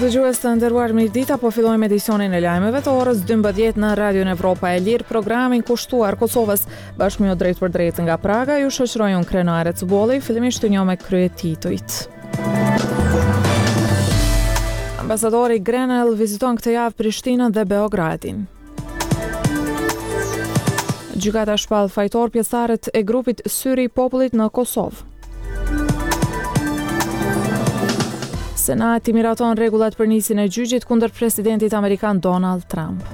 Dëgjues të nderuar mirëdita, po fillojmë edicionin e lajmeve të orës 12 në Radion Evropa e Lirë, programin kushtuar Kosovës, bashkë me ju drejtpërdrejt nga Praga, ju shoqëroj unë Krenare Cubolli, fillimisht ju njoh me kryetitujt. Ambasadori Grenell viziton këtë javë Prishtinën dhe Beogradin. Gjykata shpall fajtor pjesëtarët e grupit Syri i Popullit në Kosovë. Senati miraton rregullat për nisjen e gjyqit kundër presidentit amerikan Donald Trump.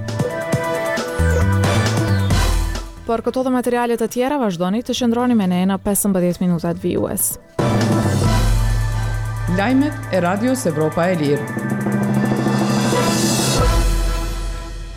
Për këto dhe materiale të tjera vazhdoni të qëndroni me ne në 15 minutat vijues. Lajmet e Radios Evropa e Lirë.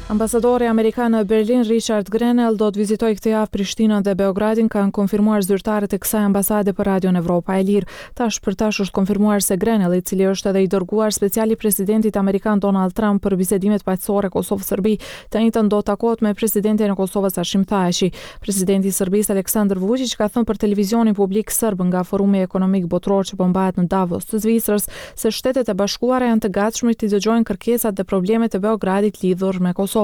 Ambasadori amerikan në Berlin, Richard Grenell, do të vizitojë këtë javë Prishtinën dhe Beogradin, kanë konfirmuar zyrtarët e kësaj ambasade për Radion Evropa e Lirë. Tash për tash është konfirmuar se Grenell, i cili është edhe i dërguar special i presidentit amerikan Donald Trump për bisedimet paqësore Kosovë-Serbi, të enjten do të takohet me presidentin e Kosovës Hashim Thaçi. Presidenti i Serbisë Aleksandër Vuçiq ka thënë për televizionin publik serb nga Forumi Ekonomik Botëror që po mbahet në Davos të Zvicrës se Shtetet e Bashkuara janë të gatshme t'i dëgjojnë kërkesat dhe problemet e Beogradit lidhur me Kosovën.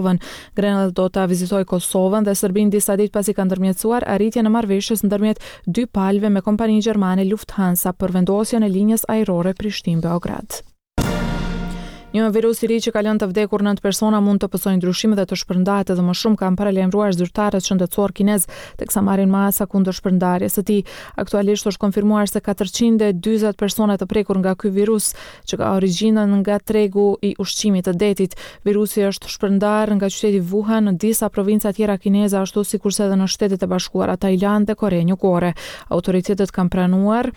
Grenell do ta vizitojë Kosovën dhe Serbinë disa ditë pasi ka ndërmjetësuar arritjen e marrëveshjes ndërmjet dy palëve me kompaninë gjermane Lufthansa për vendosjen e linjës ajrore Prishtinë-Beograd. Një virus i ri që ka lënë të vdekur 9 persona mund të pësojë ndryshime dhe të shpërndahet edhe më shumë, kanë paralajmëruar zyrtarët shëndetësorë kinezë, teksa marrin masa kundër shpërndarjes së tij. Aktualisht është konfirmuar se 440 persona të prekur nga ky virus, që ka origjinën nga tregu i ushqimit të detit. Virusi është shpërndarë nga qyteti Wuhan në disa provinca tjera kineze, ashtu sikurse edhe në Shtetet e Bashkuara, Tajlandë dhe Korenë Jugore. Autoritetet kanë pranuar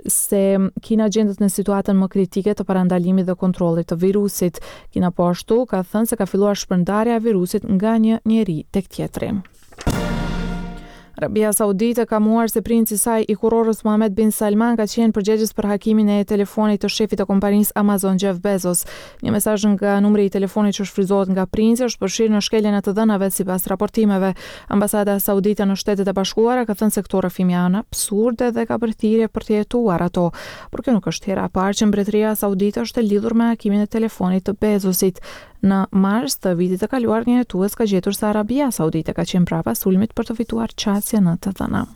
se Kina gjendet në situatën më kritike të parandalimit dhe kontrollit të virusit. Kina po ashtu ka thënë se ka filluar shpërndarja e virusit nga një njeri tek tjetri. Arabia Saudite ka mohuar se princi i saj i kurorës Mohammed bin Salman ka qenë përgjegjës për hakimin e telefonit të shefit të kompanisë Amazon Jeff Bezos. Një mesazh nga numri i telefonit që shfrytëzohet nga princi është përfshirë në shkeljen e të dhënave sipas raportimeve. Ambasada Saudite në Shtetet e Bashkuara ka thënë se këto rrëfime janë absurde dhe ka bërë thirrje për t'i hetuar ato. Por kjo nuk është hera e parë që Mbretëria Saudite është e lidhur me hakimin e telefonit të Bezosit. Në mars të vitit të kaluar, një hetues ka gjetur se Arabia Saudite ka qenë prapa sulmit për të fituar qasje në të dhëna.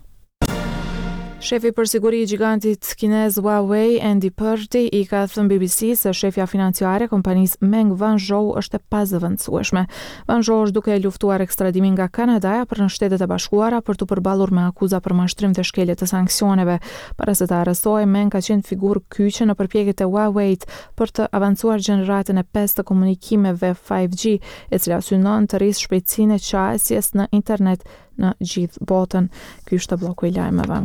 Shefi për siguri i gjigantit kinez Huawei, Andy Purdy, i ka thënë BBC se shefja financiare e kompanisë Meng Wanzhou është e pazëvendësueshme. Wanzhou është duke luftuar ekstradimin nga Kanadaja për në Shtetet e Bashkuara për t'u përballur me akuza për mashtrim dhe shkelje të sanksioneve. Para se të arrestohej, Meng ka qenë figurë kyçe në përpjekjet e Huawei-t për të avancuar gjeneratën e pestë të komunikimeve 5G, e cila synon të rrisë shpejtësinë e qasjes në internet në gjithë botën. Ky ishte blloku i lajmeve.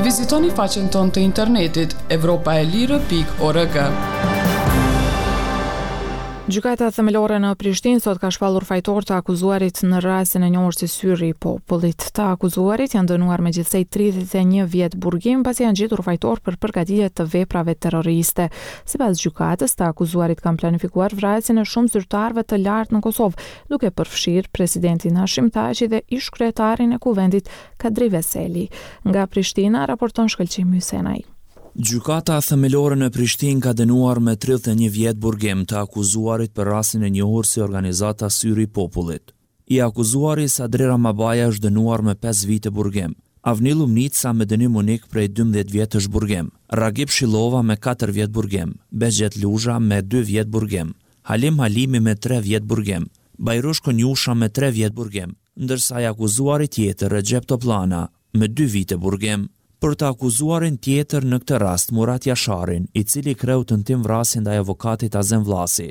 Vizitoni faqen tonë të internetit evropaelire.org. Gjykata Themelore në Prishtinë sot ka shpallur fajtor të akuzuarit në rastin e njohur si Syri i Popullit. Të akuzuarit janë dënuar me gjithsej 31 vjet burgim pasi janë gjetur fajtor për përgatitje të veprave terroriste. Sipas gjykatës, të akuzuarit kanë planifikuar vrasjen e shumë zyrtarëve të lartë në Kosovë, duke përfshirë presidentin Hashim Thaçi dhe ish-kryetarin e Kuvendit, Kadri Veseli. Nga Prishtina, raporton Shkëlqim Hysenaj. Gjykata Themelore në Prishtinë ka dënuar me 31 vjet burgim të akuzuarit për rastin e njohur si Organizata Syri i Popullit. I akuzuari Sadri Ramabaja është dënuar me pesë vite burgim, Avni Llumnica me dënim unik prej 12 vjetësh burgim, Ragip Shillova me katër vjet burgim, Behgjet Luzha me dy vjet burgim, Halim Halimi me tre vjet burgim, Bajrush Konjusha me tre vjet burgim, ndërsa i akuzuari tjetër Rexhep Topllana me dy vite burgim. Për të akuzuarin tjetër në këtë rast, Murat Jasharin, i cili kreu tentim vrasje ndaj avokatit Azem Vllasi,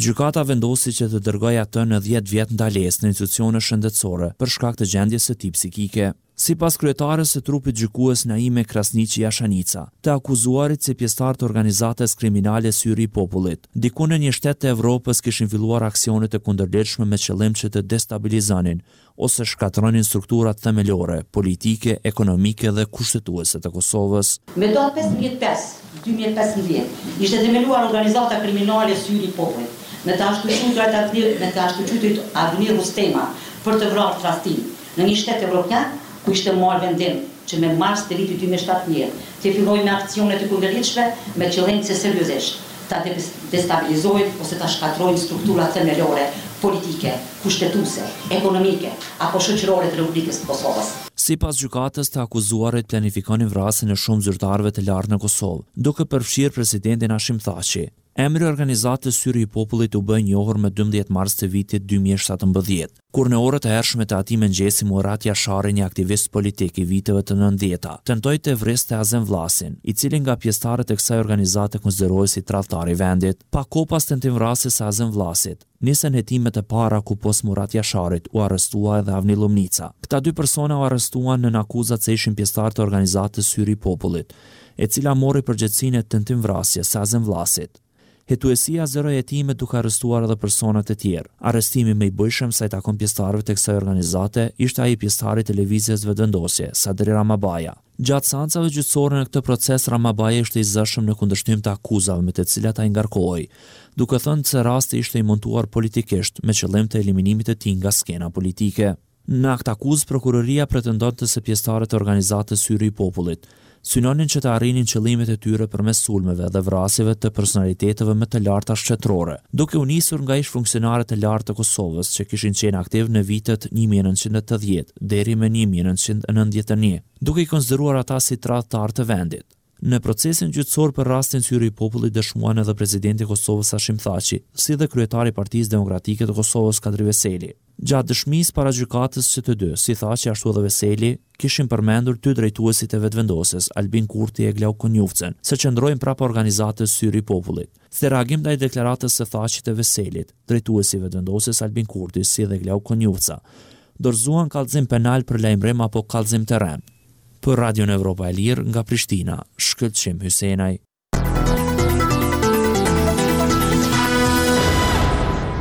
gjykata vendosi që të dërgojë atë në 10 vjet ndalesë në institucione shëndetësore për shkak të gjendjes së tij psikike. Sipas kryetares së trupit gjykues Naime Krasniqi Jashanica, të akuzuarit si pjesëtarë të organizatës kriminale Syri i Popullit, diku në një shtet të Evropës kishin filluar aksione të kundërligjshme me qëllim që të destabilizonin ose shkatërronin strukturat themelore, politike, ekonomike dhe kushtetuese të Kosovës. Me datë 15 5, 2015, ishte themeluar organizata kriminale Syri i Popullit, me të ashtuquajturit Avni, me të ashtuquajturit Avni Rustema, për të vrarë tradhtinë, në një shtet evropian, ku ishte marrë vendim që me mars të vitit 2017. Të fillojnë me aksione të kundërligjshme me qëllim që seriozisht ta destabilizojnë ose ta shkatërrojnë strukturat themelore politike, kushtetuese, ekonomike apo shoqërore të Republikës së Kosovës. Sipas gjykatës, të akuzuarit planifikonin vrasjen e shumë zyrtarëve të lartë në Kosovë, duke përfshirë presidentin Hashim Thaçi. Emri i organizatës Syri i Popullit u bë i njohur më 12 mars të vitit 2017, kur në orët e hershme të atij mëngjesi Murat Jashari, një aktivist politik i viteve të nëntëdhjeta, tentoi të vriste Azem Vllasin, i cili nga pjesëtarët e kësaj organizate konsiderohej si tradhtar i vendit. Pak kohë pas tentimvrasjes së Azem Vllasit, nisën hetimet e para ku pos Murat Jasharit u arrestua edhe Avni Llumnica. Këta dy persona u arrestuan nën akuzat se ishin pjesëtarë të organizatës Syri i Popullit, e cila mori përgjegjësinë e tentimvrasjes së Azem Vllasit. Hetuesia zgjeroi hetimet duke arrestuar edhe persona të tjerë. Arrestimi më i bujshëm sa i takon pjesëtarëve të kësaj organizate ishte ai i pjesëtarit të Lëvizjes Vetëvendosje, Sadri Ramabaja. Gjatë seancave gjyqësore në këtë proces Ramabaja ishte i zëshëm në kundërshtim të akuzave me të cilat ai ngarkohej, duke thënë se rasti ishte i montuar politikisht me qëllim të eliminimit të tij nga skena politike. Në aktakuzë prokuroria pretendonte se pjesëtarët e organizatës Syri i Popullit synonin që të arrinin qëllimet e tyre përmes sulmeve dhe vrasjeve të personaliteteve më të larta shtetërore, duke u nisur nga ish-funksionarët e lartë të Kosovës që kishin qenë aktivë në vitet 1980 deri më 1991, duke i konsideruar ata si tradhtarë të vendit. Në procesin gjyqësor për rastin Syri i Popullit dëshmuan edhe presidenti i Kosovës Hashim Thaçi, si dhe kryetari i Partisë Demokratike të Kosovës Kadri Veseli. Gjatë dëshmisë para gjykatës që të dy, si Thaçi ashtu edhe Veseli, kishin përmendur dy drejtuesit e Vetëvendosjes, Albin Kurti e Glauk Konjufcën, se qëndrojnë prapa organizatës Syri i Popullit. Si reagim ndaj deklaratës së Thaçit e Veselit, drejtuesi i Vetëvendosjes Albin Kurti si dhe Glauk Konjufca, dorëzuan kallëzim penal për lajmërim apo kallëzim të rremë. Për Radion Evropa e Lirë, nga Prishtina, Shkëlqim Hysenaj.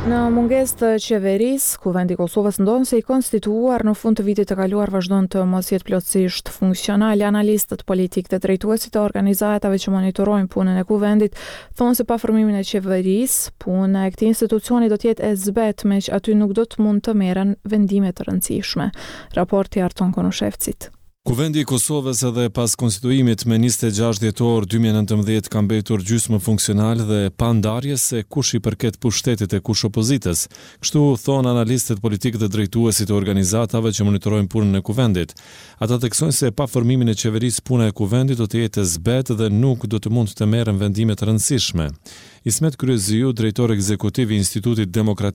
Në mungesë të qeverisë, Kuvendi i Kosovës ndonëse i konstituuar në fund të vitit të kaluar vazhdon të mos jetë plotësisht funksional. Analistët politikë dhe drejtuesit e organizatave që monitorojnë punën e Kuvendit thonë se pa formimin e qeverisë, puna e këtij institucioni do të jetë e zbehtë, meqë aty nuk do të mund të merren vendime të rëndësishme. Raporti i Arton Konushevcit. Kuvendi i Kosovës edhe pas konstituimit me 26 dhjetor 2019 ka mbetur gjysmë funksional dhe pa ndarje se kush i përket pushtetit e kush opozitës. Kështu thonë analistët politikë dhe drejtuesit e organizatave që monitorojnë punën e Kuvendit. Ata theksojnë se pa formimin e qeverisë puna e Kuvendit do të jetë e zbehtë dhe nuk do të mund të merren vendime të rëndësishme. Ismet Kryeziu, drejtor ekzekutiv i Institutit Demokratik.